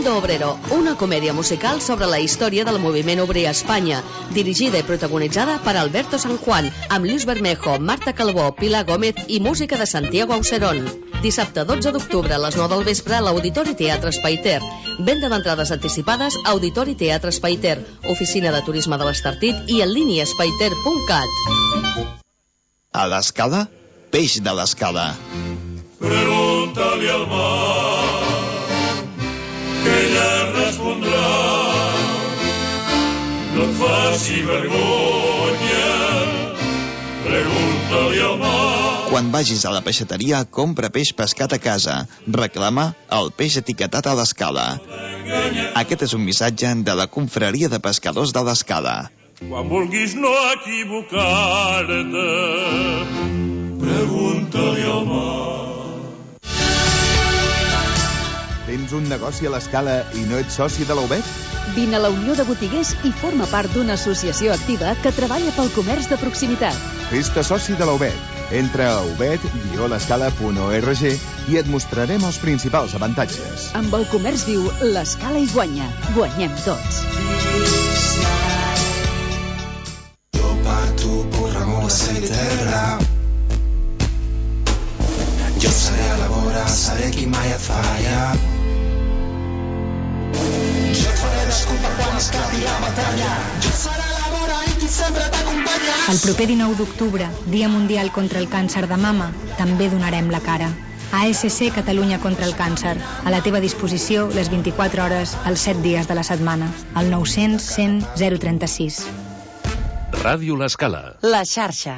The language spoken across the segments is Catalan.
Mundo Obrero, una comèdia musical sobre la història del moviment obrer a Espanya, dirigida i protagonitzada per Alberto San Juan, amb Luis Bermejo, Marta Calvó, Pilar Gómez i música de Santiago Auserón. Dissabte 12 d'octubre a les 9 del vespre a l'Auditori Teatre Espaiter. Venda d'entrades anticipades a Auditori Teatre Espaiter, Oficina de Turisme de l'Estartit i en línia espaiter.cat. A l'Escala, peix de l'Escala. Pregúntale al mar, que ella respondrà. No et faci vergonya, pregúntale al mar. Quan vagis a la peixateria, compra peix pescat a casa. Reclama el peix etiquetat a l'Escala. Aquest és un missatge de la Confraria de Pescadors de l'Escala. Quan vulguis no equivocar-te, pregunta-li al mar. Tens un negoci a l'Escala i no ets soci de la UBET? Vine a la Unió de Botiguers i forma part d'una associació activa que treballa pel comerç de proximitat. Fes-te soci de la UBET. Entra a ubet-l'escala.org i et mostrarem els principals avantatges. Amb el comerç viu, l'Escala hi guanya. Guanyem tots. Jo parto por amor a terra. Jo seré a la vora, seré qui mai et falla. Jo et faré desculpa quan esclapi la batalla. Jo seré a la vora i qui sempre t'acompanya. El proper 19 d'octubre, Dia Mundial contra el Càncer de Mama, també donarem la cara. ASC Catalunya contra el Càncer. A la teva disposició les 24 hores, els 7 dies de la setmana. Al 900 100 036. Ràdio l'Escala. La xarxa.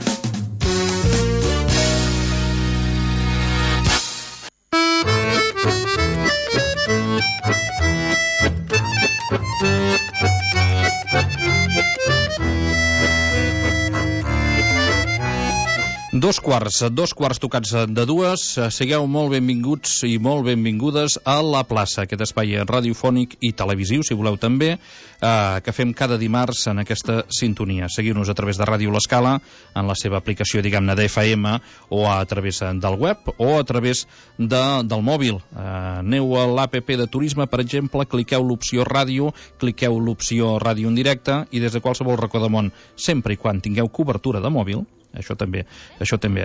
Dos quarts tocats de dues. Sigueu molt benvinguts i molt benvingudes a La Plaça, aquest espai radiofònic i televisiu, si voleu també, que fem cada dimarts en aquesta sintonia. Seguiu-nos a través de Ràdio l'Escala, en la seva aplicació, diguem-ne, d'FM, o a través del web, o a través del mòbil. Aneu a l'APP de Turisme, per exemple, cliqueu l'opció ràdio, cliqueu l'opció ràdio en directe, i des de qualsevol racó del món, sempre i quan tingueu cobertura de mòbil, això també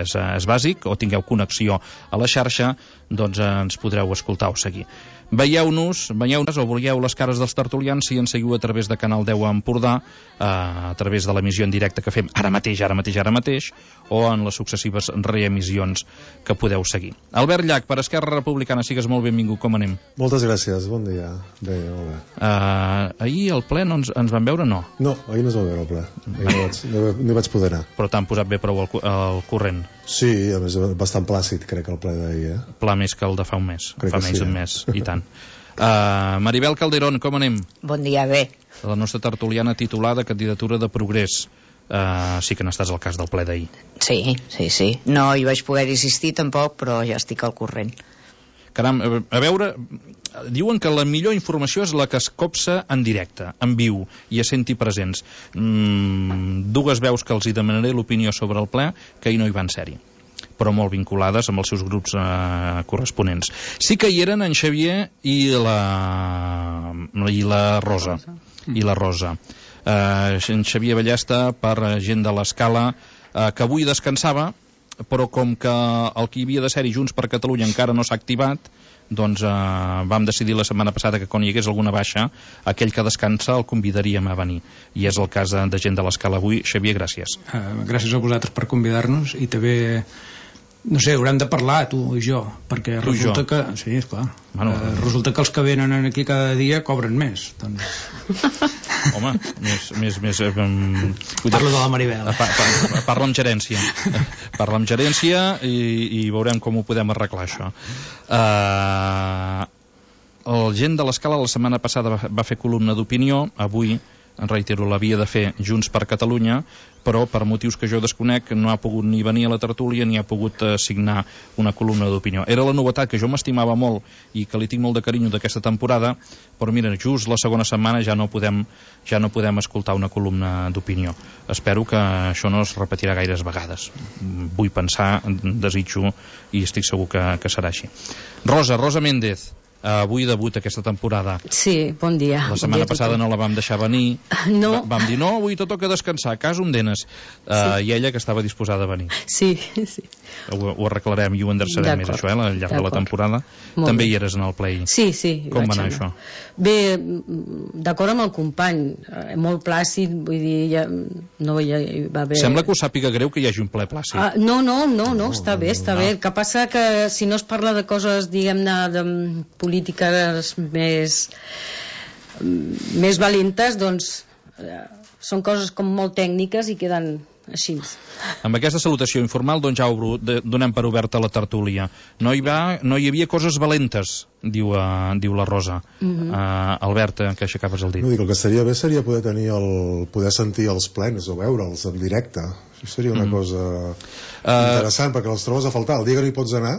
és bàsic, o tingueu connexió a la xarxa, doncs ens podreu escoltar o seguir. Veieu-nos o veieu les cares dels tertulians si ens seguiu a través de Canal 10 a Empordà, a través de l'emissió en directe que fem ara mateix, o en les successives reemissions que podeu seguir. Albert Llach, per Esquerra Republicana, sigues molt benvingut, com anem? Moltes gràcies, bon dia. Bé, molt bé. Ahir al ple ens van veure, no? No, ahir no es va veure al ple. No hi vaig poder anar. Però t'han posat bé prou al corrent? Sí, a més, bastant plàcid, crec, el ple d'ahir. Pla més que el de fa un mes. Crec fa que menys sí, d'un mes, i tant. Maribel Calderón, com anem? Bon dia, bé. La nostra tertuliana titulada Candidatura de Progrés. Sí que n'estàs al cas del ple d'ahir. Sí. No hi vaig poder assistir tampoc, però ja estic al corrent. Caram, a veure, diuen que la millor informació és la que es copsa en directe, en viu, i a senti presents. Dues veus que els hi demanaré l'opinió sobre el ple, que ahir no hi van ser-hi, però molt vinculades amb els seus grups corresponents. Sí que hi eren en Xavier i la Rosa. En Xavier Ballesta, per gent de l'Escala, que avui descansava, però com que el que hi havia de ser-hi Junts per Catalunya encara no s'ha activat, doncs vam decidir la setmana passada que quan hi hagués alguna baixa, aquell que descansa el convidaríem a venir, i és el cas de gent de l'Escala avui. Xavier, gràcies. Gràcies a vosaltres per convidar-nos, i també, no sé, haurem de parlar, tu i jo, perquè resulta que... Sí, esclar. Resulta que els que venen aquí cada dia cobren més, doncs... Home, més... Parlo de la Maribel. Parla amb gerència. Parla amb gerència i veurem com ho podem arreglar, això. El gent de l'Escala la setmana passada va fer columna d'opinió. Avui, en reitero, l'havia de fer Junts per Catalunya, però per motius que jo desconec no ha pogut ni venir a la tertúlia ni ha pogut signar una columna d'opinió. Era la novetat que jo m'estimava molt i que li tinc molt de carinyo d'aquesta temporada, però mira, just la segona setmana ja no podem escoltar una columna d'opinió. Espero que això no es repetirà gaires vegades. Vull pensar, desitjo i estic segur que serà així. Rosa Méndez, avui debut aquesta temporada. Sí, bon dia. La setmana passada no la vam deixar venir. No. Vam dir, no, avui te toca descansar, cas un denes. I ella que estava disposada a venir. Sí. Ho arreglarem i ho enderçarem més, això, al llarg de la temporada. També hi eres en el play. Sí. Com va anar això? Bé, d'acord amb el company, molt plàcid, vull dir, no hi va haver... Sembla que us sàpiga greu que hi hagi un ple plàcid. No, està bé. El que passa que si no es parla de coses, diguem-ne, de polítiques més valentes, doncs són coses com molt tècniques i queden així. Amb aquesta salutació informal, doncs ja donem per oberta la tertúlia. No hi havia coses valentes, diu la Rosa. Albert, que aixecaves el dit. No, dic, el que seria bé seria poder sentir els plens o veure'ls en directe. Això seria una cosa interessant, perquè els trobes a faltar. El dia que no hi pots anar,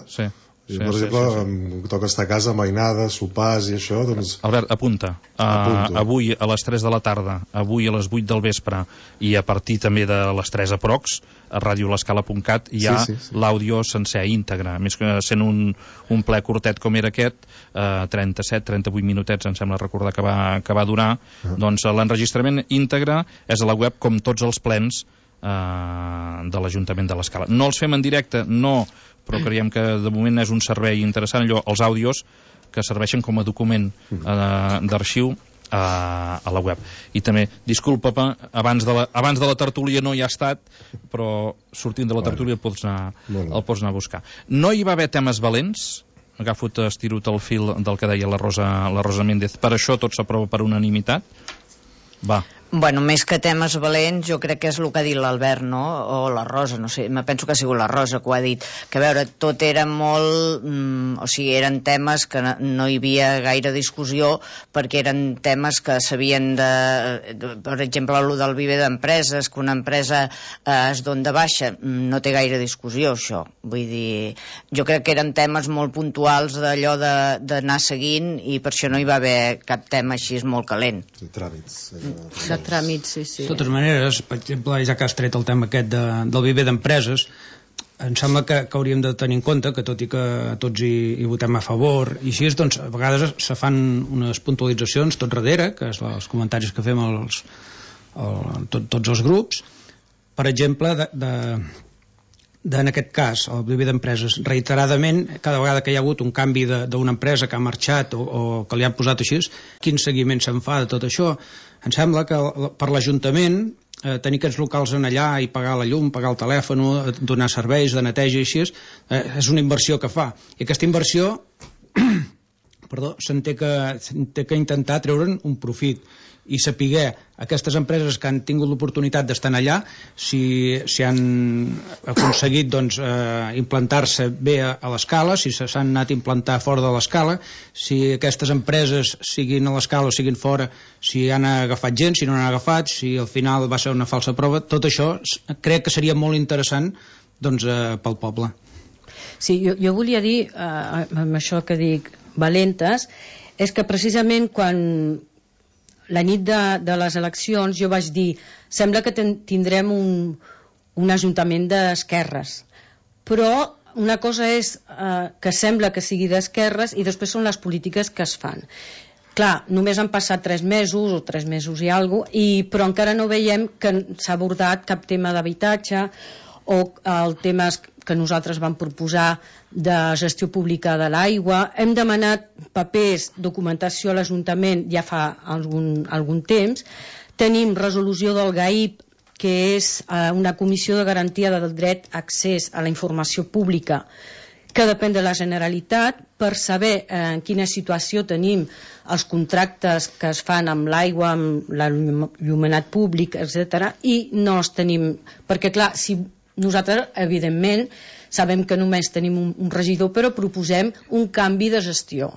per exemple, em toca estar a casa, mainades, sopars i això, doncs... Albert, apunta. Avui a les 3 de la tarda, avui a les 8 del vespre i a partir també de les 3 aprox, a radiolescala.cat hi ha l'àudio sencer, íntegre. Més que sent un ple curtet com era aquest, 37-38 minutets, em sembla recordar que va durar, doncs l'enregistrament íntegre és a la web com tots els plens de l'Ajuntament de l'Escala. No els fem en directe, no, però creiem que de moment és un servei interessant, els àudios que serveixen com a document d'arxiu a la web. I també, disculpa, abans de la tertúlia no hi ha estat, però sortint de la tertúlia el pots anar a buscar. No hi va haver temes valents, estiro-te el fil del que deia la Rosa Méndez, per això tot s'aprova per unanimitat. Va. Bueno, més que temes valents, jo crec que és el que ha dit l'Albert, no? O la Rosa, no sé, me penso que ha sigut la Rosa que ho ha dit, que a veure, tot era molt... o sigui, eren temes que no hi havia gaire discussió, perquè eren temes que s'havien per exemple, el del viver d'empreses, que una empresa es dona de baixa, no té gaire discussió, això. Vull dir, jo crec que eren temes molt puntuals d'allò d'anar seguint, i per això no hi va haver cap tema així molt calent. Tràmits, sí. De totes maneres, per exemple, ja que has tret el tema aquest del viver d'empreses, em sembla que hauríem de tenir en compte que tot i que tots hi votem a favor i així, doncs a vegades se fan unes puntualitzacions tot darrere, que és els comentaris que fem tots els grups. Per exemple, en aquest cas, el viver d'empreses, reiteradament, cada vegada que hi ha hagut un canvi d'una empresa que ha marxat o que li han posat així, quin seguiment se'n fa de tot això? Em sembla que per l'Ajuntament tenir aquests locals en allà i pagar la llum, pagar el telèfon, donar serveis de neteja i així, és una inversió que fa. I aquesta inversió s'en té que intentar treure'n un profit i saber aquestes empreses que han tingut l'oportunitat d'estar allà, si han aconseguit implantar-se bé a l'Escala, si s'han anat a implantar fora de l'Escala, si aquestes empreses siguin a l'Escala o siguin fora, si han agafat gent, si no han agafat, si al final va ser una falsa prova. Tot això crec que seria molt interessant pel poble. Sí, jo volia dir, amb això que dic valentes, és que precisament quan la nit de les eleccions jo vaig dir, sembla que tindrem un ajuntament d'esquerres, però una cosa és que sembla que sigui d'esquerres i després són les polítiques que es fan. Clar, només han passat 3 mesos o 3 mesos i alguna cosa, però encara no veiem que s'ha abordat cap tema d'habitatge o el tema que nosaltres vam proposar de gestió pública de l'aigua. Hem demanat papers, documentació a l'Ajuntament ja fa algun temps. Tenim resolució del GAIP, que és una comissió de garantia del dret a accés a la informació pública que depèn de la Generalitat, per saber en quina situació tenim els contractes que es fan amb l'aigua, amb l'il·luminat públic, etc. I no els tenim, perquè clar, si nosaltres, evidentment, sabem que només tenim un regidor, però proposem un canvi de gestió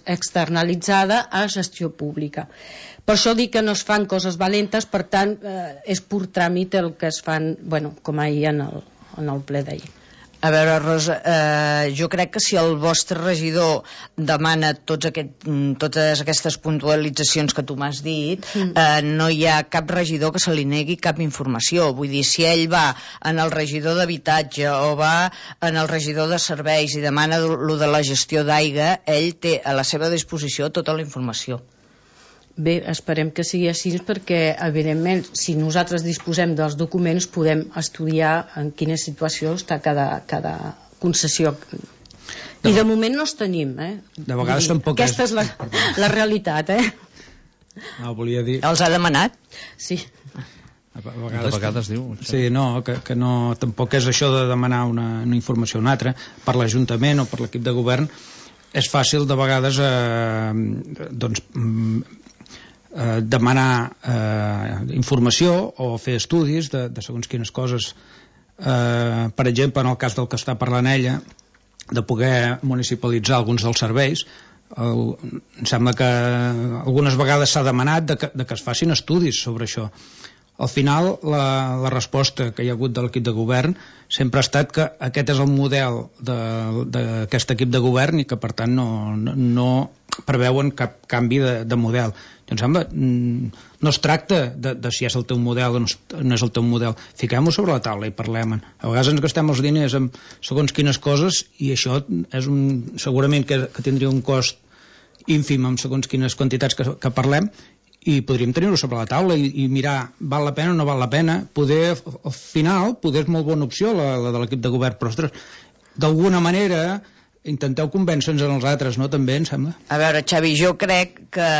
externalitzada a gestió pública. Per això dic que no es fan coses valentes, per tant, és pur tràmit el que es fan, com ahir en el ple d'ahir. A veure, Rosa, jo crec que si el vostre regidor demana totes aquestes puntualitzacions que tu m'has dit, no hi ha cap regidor que se li negui cap informació. Vull dir, si ell va en el regidor d'habitatge o va en el regidor de serveis i demana lo de la gestió d'aigua, ell té a la seva disposició tota la informació. Bé, esperem que sigui així perquè, evidentment, si nosaltres disposem dels documents, podem estudiar en quina situació està cada concessió. I de moment no els tenim, De vegades tampoc aquesta és la realitat, No, volia dir... Els ha demanat? Sí. De vegades diu... Sí, no, que no, tampoc és això de demanar una informació o una altra per l'Ajuntament o per l'equip de govern. És fàcil de vegades demanar informació o fer estudis de segons quines coses, per exemple en el cas del que està parlant ella, de poder municipalitzar alguns dels serveis. Em sembla que algunes vegades s'ha demanat de que es facin estudis sobre això. Al final la resposta que hi ha hagut de l'equip de govern sempre ha estat que aquest és el model d'aquest equip de govern i que per tant no preveuen cap canvi de model. Em sembla, no es tracta de si és el teu model o no és el teu model. Fiquem-ho sobre la taula i parlem-en. A vegades ens gastem els diners en segons quines coses i això és segurament que tindria un cost ínfim amb segons quines quantitats que parlem, i podríem tenir-ho sobre la taula i mirar val la pena o no val la pena. Al final és molt bona opció la de l'equip de govern, però ostres, d'alguna manera intenteu convèncer-nos en els altres, no? També, em sembla. A veure, Xavi, jo crec que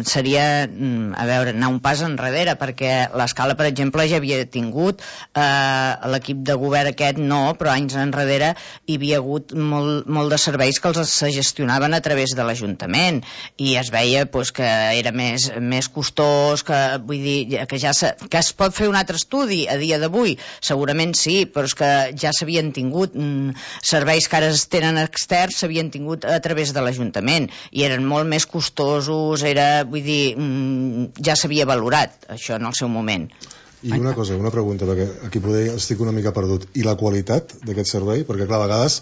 seria, anar un pas enrere, perquè l'Escala, per exemple, ja havia tingut l'equip de govern aquest, no, però anys enrere hi havia hagut molt de serveis que els gestionaven a través de l'Ajuntament, i es veia que era més costós, que vull dir, que es pot fer un altre estudi a dia d'avui, segurament sí, però és que ja s'havien tingut serveis que ara es tenen externs, s'havien tingut a través de l'Ajuntament i eren molt més costosos, vull dir, ja s'havia valorat això en el seu moment. I una cosa, una pregunta, perquè aquí poder estic una mica perdut. I la qualitat d'aquest servei? Perquè clar, a vegades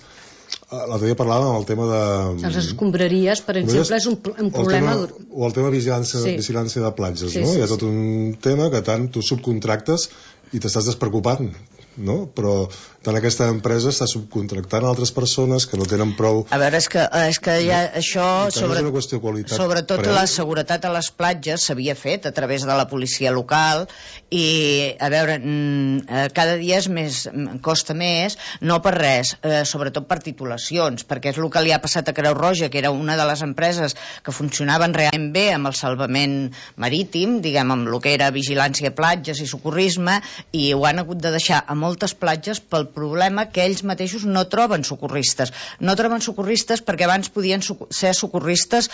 l'altre dia parlàvem del tema de... Les escombraries, per exemple, és un problema... O el tema de vigilància de platges, no? Hi ha tot un tema que tant tu subcontractes i t'estàs despreocupant, no? Però tant aquesta empresa està subcontractant altres persones que no tenen prou... A veure, és que ja això... És una qüestió de qualitat. Sobretot la seguretat a les platges s'havia fet a través de la policia local i, a veure, cada dia costa més, no per res, sobretot per titulacions, perquè és el que li ha passat a Creu Roja, que era una de les empreses que funcionaven realment bé amb el salvament marítim, diguem, amb el que era vigilància a platges i socorrisme, i ho han hagut de deixar a moltes platges pel problema que ells mateixos no troben socorristes. No troben socorristes perquè abans podien ser socorristes,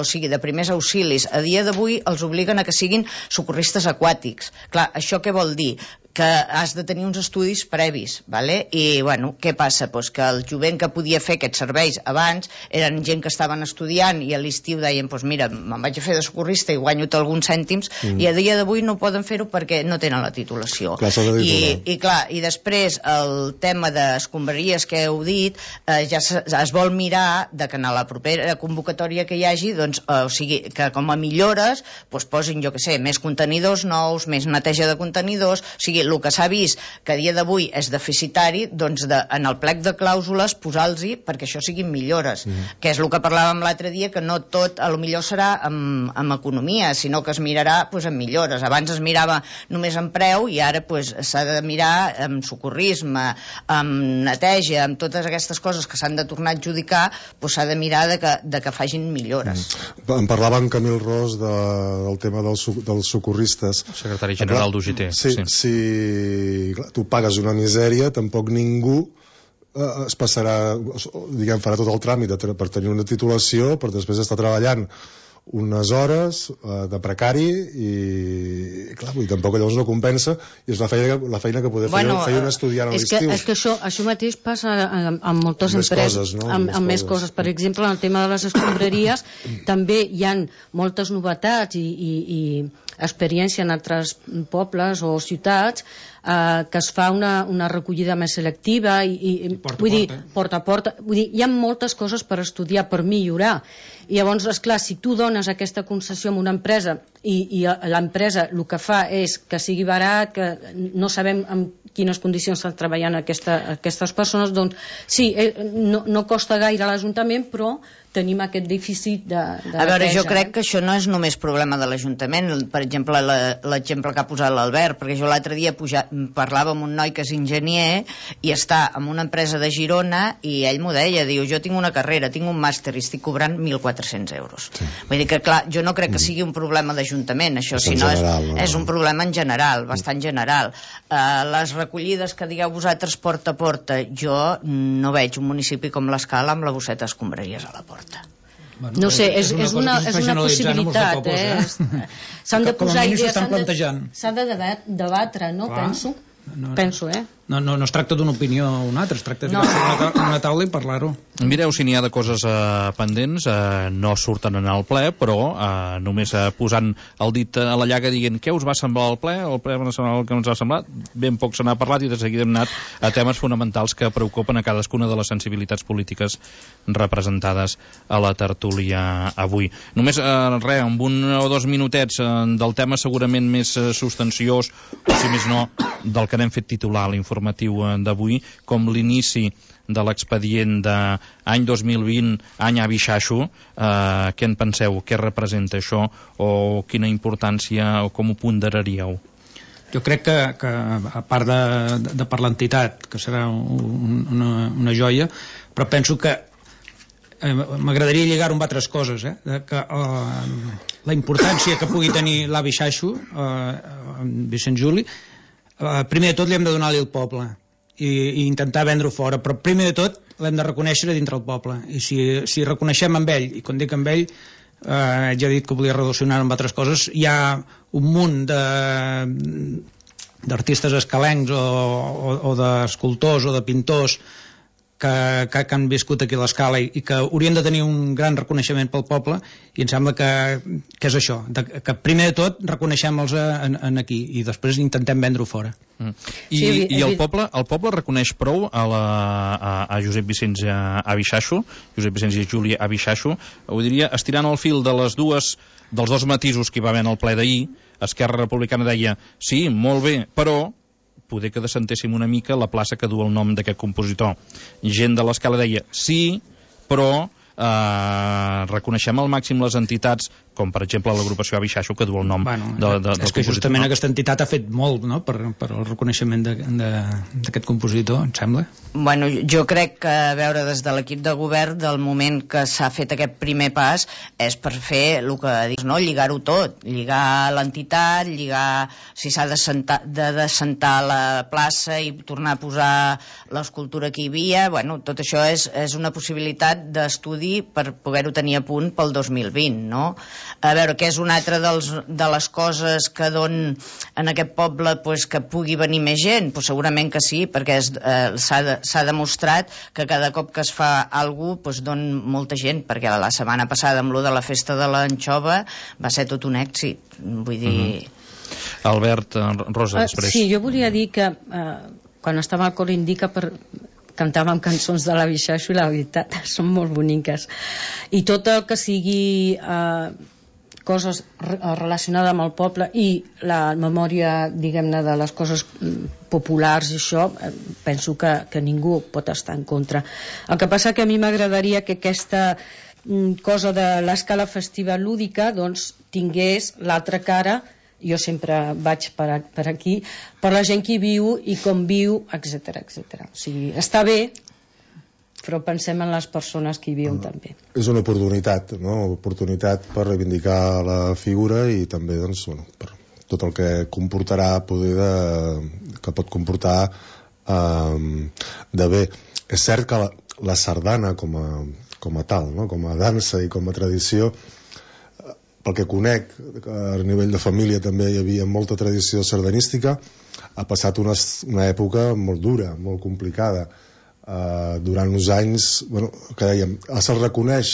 o sigui, de primers auxilis. A dia d'avui els obliguen a que siguin socorristes aquàtics. Clar, això què vol dir? Que has de tenir uns estudis previs, ¿vale? I, bueno, què passa? Pues que el jovent que podia fer aquests serveis abans eren gent que estaven estudiant i a l'estiu deien, pues mira, me'n vaig a fer de socorrista i guanyo alguns cèntims, i a dia d'avui no poden fer-ho perquè no tenen la titulació. I després el tema d'escombraries que heu dit, ja es vol mirar de que en la propera convocatòria que hi hagi, doncs, o sigui, que com a millores posin, jo què sé, més contenidors nous, més neteja de contenidors, o sigui, el que s'ha vist que a dia d'avui és deficitari, doncs en el plec de clàusules posar-los-hi perquè això siguin millores, que és el que parlàvem l'altre dia, que no tot a lo millor serà amb economia, sinó que es mirarà amb millores. Abans es mirava només en preu i ara s'ha de mirar amb socorrisme, amb neteja, amb totes aquestes coses que s'han de tornar a adjudicar, s'ha de mirar de que facin millores. En parlava en Camil Ros del tema dels socorristes, secretari general d'UGT. Sí, clar, tu pagues una misèria, tampoc ningú es passarà, diguem, farà tot el tràmit per tenir una titulació, per després estar treballant unes hores de precari i clar, tampoc llavors no compensa, i és la feina que poder fer un estudiant a l'estiu. És que això mateix passa amb moltes empreses, amb més coses. Per exemple, en el tema de les escombraries també hi ha moltes novetats i experiència en altres pobles o ciutats que es fa una recollida més selectiva i vull dir, porta a porta, vull dir, hi ha moltes coses per estudiar, per millorar. I llavors, esclar, si tu dones aquesta concessió a una empresa i l'empresa el que fa és que sigui barat, que no sabem en quines condicions estan treballant aquestes persones, doncs sí, no costa gaire a l'Ajuntament, però tenim aquest dèficit de a veure, jo crec que això no és només problema de l'Ajuntament. Per exemple, l'exemple que ha posat l'Albert, perquè jo l'altre dia parlava amb un noi que és enginyer i està en una empresa de Girona i ell m'ho deia, diu, jo tinc una carrera, tinc un màster i estic cobrant 1.400 euros. Sí. Vull dir que, clar, jo no crec que sigui un problema d'Ajuntament, això, sinó és un problema en general, bastant general. Les recollides que digueu vosaltres porta a porta, jo no veig un municipi com l'Escala amb la bosseta d'escombraries a la porta. Bueno, no sé, és una possibilitat, s'han de posar idees, s'ha de debatre, no? Penso, No es tracta d'una opinió o una altra, es tracta de una taula i parlar-ho. Mireu si n'hi ha de coses pendents, no surten en el ple, però només posant el dit a la llaga dient què us va semblar el ple va semblar el que ens ha semblat, ben poc se n'ha parlat i de seguida hem anat a temes fonamentals que preocupen a cadascuna de les sensibilitats polítiques representades a la tertúlia avui. Només, amb 1 o 2 minutets del tema segurament més substanciós, o si més no, del que n'hem fet titular l'informatiu d'avui, com l'inici de l'expedient d'any 2020, any Avi Xaxo. Què en penseu? Què representa això? O quina importància, o com ho ponderaríeu? Jo crec que a part de per l'entitat, que serà una joia, però penso que m'agradaria lligar-ho amb altres coses, que la importància que pugui tenir l'Avi Xaxo, Vicent Juli, primer de tot li hem de donar-li al poble i intentar vendre-ho fora, però primer de tot l'hem de reconèixer dintre el poble, i si reconeixem amb ell, i quan dic amb ell ja he dit que volia relacionar-ho amb altres coses, hi ha un munt d'artistes escalencs o d'escultors o de pintors que han viscut aquí a l'Escala i que haurien de tenir un gran reconeixement pel poble, i em sembla que és això, que primer de tot reconeixem-los aquí i després intentem vendre-ho fora. I el poble reconeix prou a Josep Vicenç Avi Xaxo, Josep Vicenç i Juli Avi Xaxo, ho diria, estirant el fil dels dos matisos que hi va haver en el ple d'ahir. Esquerra Republicana deia, sí, molt bé, però poder que desentéssim una mica la plaça que du el nom d'aquest compositor. Gent de l'Escala deia, sí, però reconeixem al màxim les entitats, com per exemple l'agrupació Avi Xaxo, que du el nom del compositor. És que justament aquesta entitat ha fet molt, no?, per el reconeixement d'aquest compositor, em sembla. Bueno, jo crec que, a veure, des de l'equip de govern, del moment que s'ha fet aquest primer pas, és per fer el que dius, no?, lligar-ho tot, lligar l'entitat, lligar si s'ha de descentar la plaça i tornar a posar l'escultura que hi havia. Bueno, tot això és una possibilitat d'estudi per poder-ho tenir a punt pel 2020, no? A veure, que és una altra de les coses que donen en aquest poble que pugui venir més gent? Segurament que sí, perquè s'ha demostrat que cada cop que es fa alguna cosa dona molta gent, perquè la setmana passada amb lo de la festa de l'anxova va ser tot un èxit, vull dir... Albert, Rosa, després. Sí, jo volia dir que quan estava al Cor Indica cantàvem cançons de l'Avi Xaxo i la veritat, són molt boniques, i tot el que sigui coses relacionades amb el poble i la memòria, diguem-ne, de les coses populars i això, penso que ningú pot estar en contra. El que passa que a mi m'agradaria que aquesta cosa de l'Escala Festiva Lúdica doncs tingués l'altra cara. Jo sempre vaig per aquí, per la gent que hi viu i com viu, etc. O sigui, està bé, però pensem en les persones que hi viuen també. És una oportunitat, no? Oportunitat per reivindicar la figura i també, doncs, per tot el que comportarà que pot comportar de bé. És cert que la sardana com a tal, no? Com a dansa i com a tradició, pel que conec, a nivell de família també hi havia molta tradició sardanística, ha passat una època molt dura, molt complicada. Durant uns anys, que dèiem, se'l reconeix,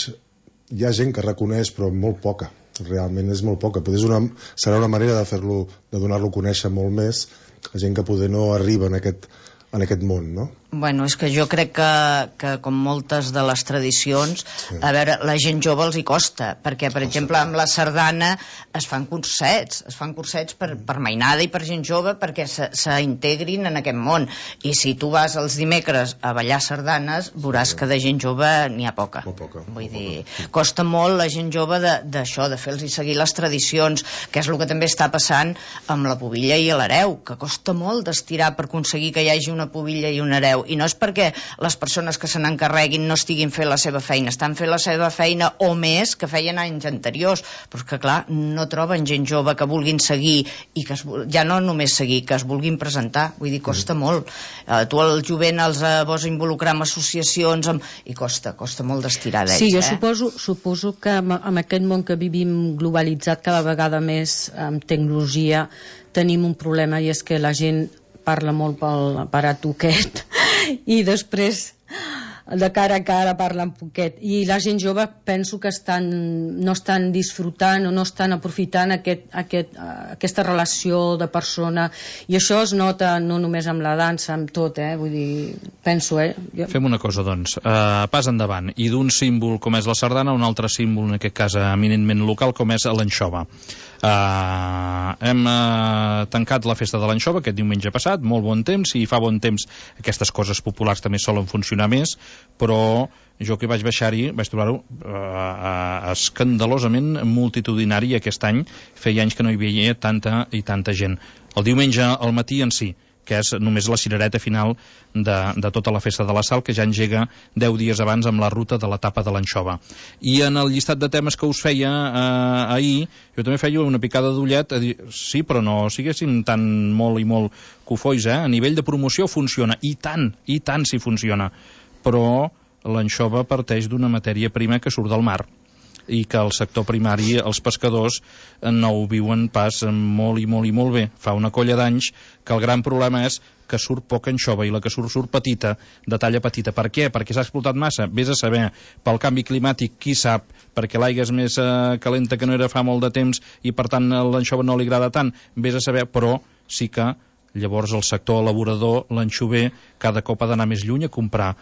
hi ha gent que reconeix, però molt poca. realment és molt poca. Serà una manera de fer-lo, de donar-lo a conèixer molt més a gent que poder no arriba en aquest món, no? Bueno, és que jo crec que com moltes de les tradicions, a veure, la gent jove els hi costa, perquè, per exemple, amb la sardana es fan cursets per mainada i per gent jove perquè s'integrin en aquest món. I si tu vas els dimecres a ballar sardanes, veuràs que de gent jove n'hi ha poca. Vull dir, costa molt la gent jove d'això, de fer-los seguir les tradicions, que és el que també està passant amb la pubilla i l'hereu, que costa molt d'estirar per aconseguir que hi hagi una pubilla i un hereu. I no és perquè les persones que se n'encarreguin no estiguin fent la seva feina, estan fent la seva feina o més que feien anys anteriors, però és que clar, no troben gent jove que vulguin seguir i que ja no només seguir, que es vulguin presentar, vull dir, costa molt. Tu al jovent els vols involucrar en associacions i costa molt d'estirar d'ells. Sí, jo suposo que amb aquest món que vivim globalitzat cada vegada més amb tecnologia tenim un problema, i és que la gent parla molt pel aparat toquet i després de cara a cara parlen poquet, i la gent jove penso que no estan disfrutant o no estan aprofitant aquesta relació de persona, i això es nota no només amb la dansa, amb tot, vull dir, penso, Fem una cosa, doncs, pas endavant, i d'un símbol com és la sardana, un altre símbol, en aquest cas eminentment local, com és l'anxova. Hem tancat la festa de l'anxova aquest diumenge passat, molt bon temps, i fa bon temps aquestes coses populars també solen funcionar més, però jo que vaig baixar-hi vaig trobar-ho escandalosament multitudinari aquest any. Feia anys que no hi veia tanta i tanta gent. El diumenge al matí en si, que és només la cirereta final de tota la festa de la Sal, que ja engega 10 dies abans amb la ruta de l'etapa de l'anxova. I en el llistat de temes que us feia ahir, jo també feia una picada d'ullet a dir, sí, però no siguessin tan molt i molt cofois, a nivell de promoció funciona, i tant si funciona, però l'anxova parteix d'una matèria prima que surt del mar, i que el sector primari, els pescadors, no ho viuen pas molt i molt bé. Fa una colla d'anys que el gran problema és que surt poca anxova, i la que surt petita, de talla petita. Per què? Perquè s'ha explotat massa? Vés a saber. Pel canvi climàtic, qui sap? Perquè l'aigua és més calenta que no era fa molt de temps i per tant l'anxova no li agrada tant? Vés a saber, però sí que llavors el sector elaborador, l'anxover, cada cop ha d'anar més lluny a comprar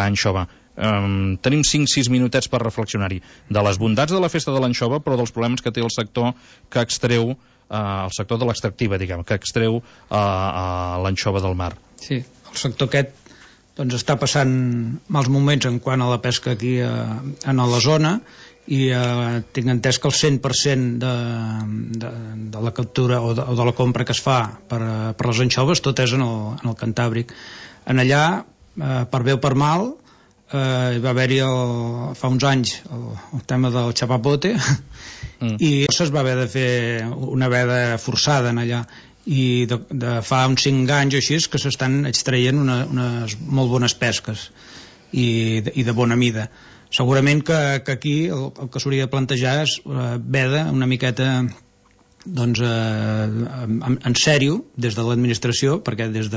anxova. Tenim 5-6 minutets per reflexionar-hi de les bondats de la festa de l'anxova, però dels problemes que té el sector que extreu, el sector de l'extractiva, diguem, que extreu l'anxova del mar. Sí, el sector aquest doncs està passant mals moments en quant a la pesca aquí en la zona, i tinc entès que el 100% de la captura o de la compra que es fa per les anxoves tot és en el Cantàbric. En allà, per bé o per mal, va haver-hi fa uns anys el tema del xapapote i es va haver de fer una veda forçada en allà, i de fa uns 5 anys o així que s'estan extraient unes molt bones pesques i de bona mida. Segurament que aquí el que s'hauria de plantejar és veda una miqueta doncs en sèrio des de l'administració, perquè des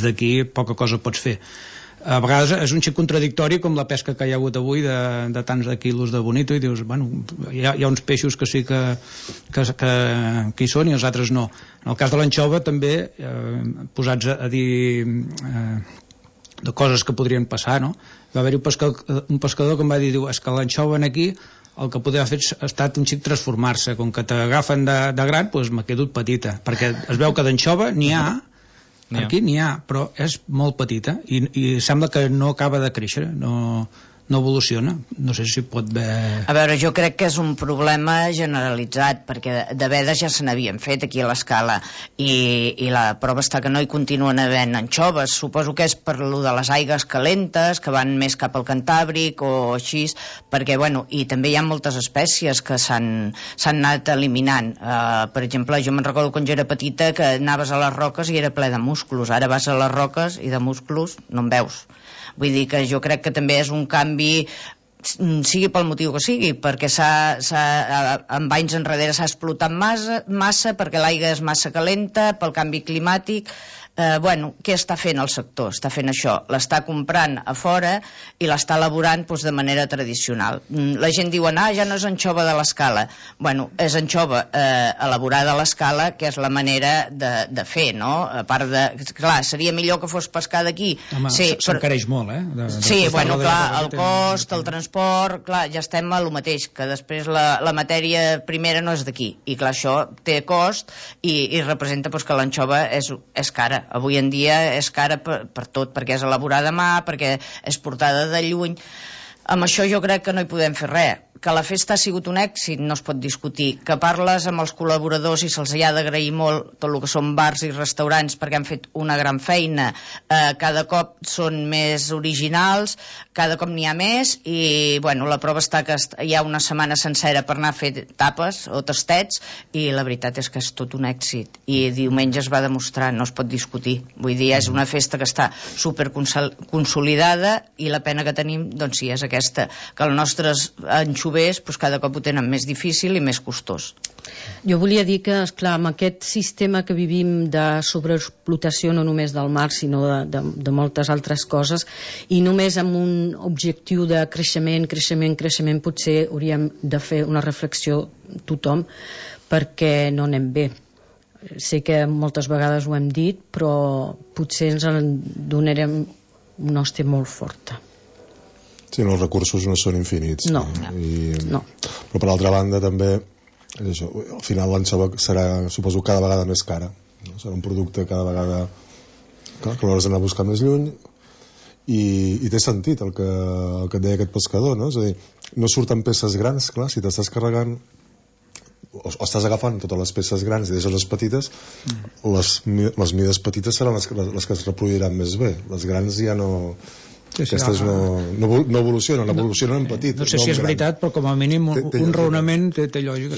d'aquí poca cosa pots fer. A vegades és un xic contradictori com la pesca que hi ha hagut avui de tants de quilos de bonito, i dius, bueno, hi ha uns peixos que sí que hi són i els altres no. En el cas de l'anxova també, posats a dir de coses que podrien passar, no? Va haver-hi un pescador que em va dir, és que l'anxova aquí el que podria fer ha estat un xic transformar-se, com que t'agafen de gran, doncs m'ha quedat petita, perquè es veu que d'anxova n'hi ha, aquí n'hi ha, però és molt petita i sembla que no acaba de créixer, no evoluciona. No sé si pot haver... A veure, jo crec que és un problema generalitzat, perquè de vedes ja se n'havien fet aquí a l'Escala, i la prova està que no hi continuen havent anxoves. Suposo que és per lo de les aigues calentes, que van més cap al Cantàbric o així, perquè, bueno, i també hi ha moltes espècies que s'han anat eliminant. Per exemple, jo me'n recordo quan jo era petita que anaves a les roques i era ple de musclos. Ara vas a les roques i de musclos no en veus. Vull dir que jo crec que també és un canvi, sigui pel motiu que sigui, perquè en anys enrere s'ha explotat massa, perquè l'aigua és massa calenta, pel canvi climàtic. què està fent el sector? Està fent això, l'està comprant a fora i l'està elaborant de manera tradicional. La gent diu, ja no és anxova de l'escala. Bueno, és anxova elaborada a l'escala, que és la manera de fer, no? A part de... Clar, seria millor que fos pescar d'aquí. Home, s'encareix molt, Sí, bueno, clar, el cost, el transport, clar, ja estem a lo mateix, que després la matèria primera no és d'aquí. I clar, això té cost i representa que l'anxova és cara. Avui en dia és cara per tot, perquè és elaborada a mà, perquè és portada de lluny. Amb això jo crec que no hi podem fer res. Que la festa ha sigut un èxit no es pot discutir. Que parles amb els col·laboradors i se'ls ha d'agrair molt tot el que són bars i restaurants perquè han fet una gran feina. Cada cop són més originals, cada cop n'hi ha més i bueno, la prova està que hi ha una setmana sencera per anar a fer tapes o tastets i la veritat és que és tot un èxit. I diumenge es va demostrar, no es pot discutir. Vull dir, és una festa que està super consolidada i la pena que tenim, doncs sí, és aquesta, que els nostres anxovers cada cop ho tenen més difícil i més costós. Jo volia dir que, esclar, amb aquest sistema que vivim de sobreexplotació no només del mar, sinó de moltes altres coses, i només amb un objectiu de creixement, potser hauríem de fer una reflexió tothom, perquè no anem bé. Sé que moltes vegades ho hem dit, però potser ens en donarem una hòstia molt forta. Sí, els recursos no són infinits. No. Però per altra banda també això, al final l'anxova serà, suposo, cada vegada més cara. Serà un producte cada vegada que l'hauràs d'anar a buscar més lluny i té sentit el que et deia aquest pescador, no? És a dir, no surten peces grans, clar, si t'estàs carregant o estàs agafant totes les peces grans i deixes les petites, les mides petites seran les que es reproduiran més bé. Les grans ja no... Aquestes no evolucionen, evolucionen en petit. No sé si és veritat, però com a mínim un raonament té lògica.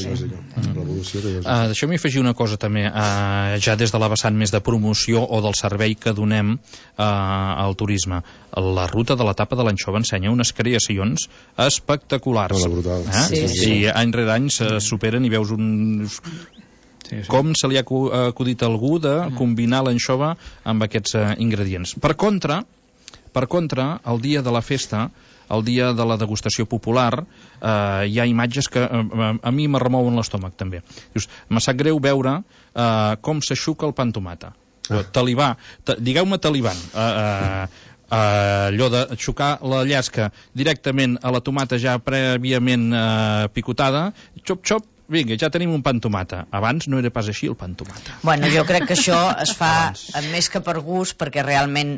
Deixeu-m'hi afegir una cosa també, ja des de la vessant més de promoció o del servei que donem al turisme. La ruta de l'etapa de l'anxova ensenya unes creacions espectaculars. I any rere any se superen i veus com se li ha acudit a algú de combinar l'anxova amb aquests ingredients. Per contra, el dia de la festa, el dia de la degustació popular, hi ha imatges que a mi me remouen l'estómac també. Dius, me sap greu veure com s'aixuca el pa amb tomata. Talibà, digueu-me taliban. Allò de xocar la llesca directament a la tomata ja prèviament picotada, xop, vinga, ja tenim un pa amb tomata. Abans no era pas així el pa amb tomata. Bueno, jo crec que això es fa més que per gust, perquè realment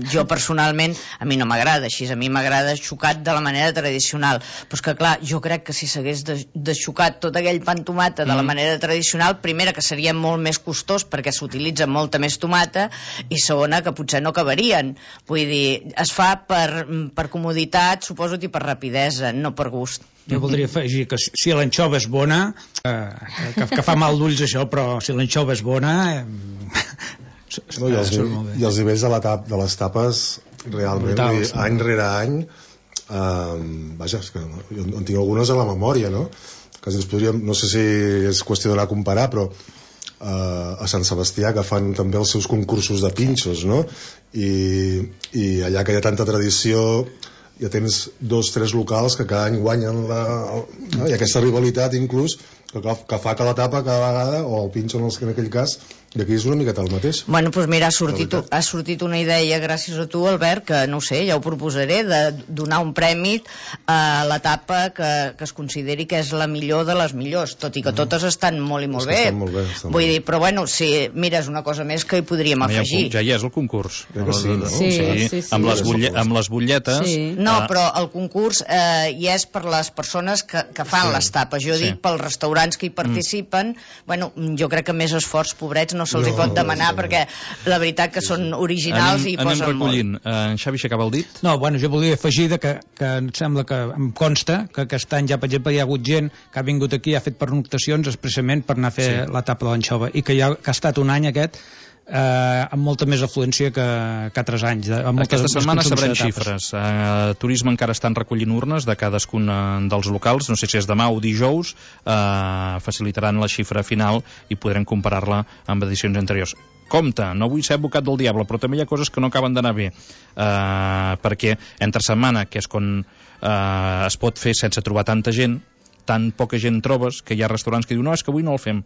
jo personalment a mi no m'agrada així, a mi m'agrada xocat de la manera tradicional. Però és que clar, jo crec que si s'hagués deixocat tot aquell pa amb tomata de la manera tradicional, primera que seria molt més costós perquè s'utilitza molta més tomata i segona que potser no acabarien. Vull dir, es fa per comoditat, suposo, i per rapidesa, no per gust. Jo voldria afegir que si l'anxova és bona, que fa mal d'ulls això, però si l'anxova és bona... I els nivells de les tapes, realment, any rere any, vaja, és que jo en tinc algunes a la memòria, no? Que ens podríem, no sé si és qüestió d'anar a comparar, però a Sant Sebastià, que fan també els seus concursos de pinxos, no? I allà que hi ha tanta tradició... ja tens 2-3 locals que cada any guanyen i aquesta rivalitat inclús que fa que la tapa cada vegada o el pinxo en aquell cas i aquí és una miqueta el mateix. Bueno, doncs mira, ha sortit una idea gràcies a tu, Albert, que no sé, ja ho proposaré, de donar un premi a la tapa que es consideri que és la millor de les millors, tot i que totes estan molt i molt bé. Vull dir, però bueno, si mira, és una cosa més que hi podríem afegir. Ja hi és el concurs. Sí. Amb les butlletes. No, però el concurs hi és per les persones que fan les tapes. Jo dic pels restaurants que hi participen. Bueno, jo crec que més esforç, pobrets, no se'ls hi pot demanar perquè la veritat que són originals i posen recollint. En Xavi s'acaba el dit? No, bueno, jo volia afegir que em sembla que em consta que aquest any ja, per exemple, hi ha hagut gent que ha vingut aquí i ha fet pernoctacions expressament per anar a fer la tapa de l'anxova i que ha estat un any aquest amb molta més afluència que altres anys. Aquesta setmana sabrem xifres. Turisme encara estan recollint urnes de cadascun dels locals, no sé si és demà o dijous, facilitaran la xifra final i podrem comparar-la amb edicions anteriors. Compte, no vull ser advocat del diable, però també hi ha coses que no acaben d'anar bé, perquè entre setmana, que és quan es pot fer sense trobar tanta gent, tan poca gent trobes, que hi ha restaurants que diuen no, és que avui no el fem.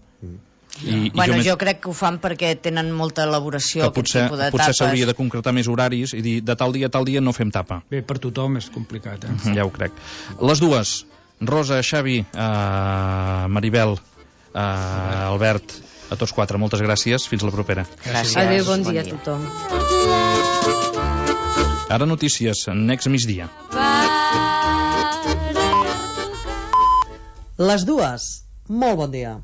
Jo crec que ho fan perquè tenen molta elaboració, aquest tipus de tapes. Potser s'hauria de concretar més horaris i dir de tal dia a tal dia no fem tapa. Bé, per tothom és complicat, Ja ho crec. Les dues, Rosa, Xavi, Maribel, Albert, a tots quatre, moltes gràcies, fins la propera. Gràcies. Adéu, bon dia a tothom. Ara notícies, Next migdia. Les dues, molt bon dia.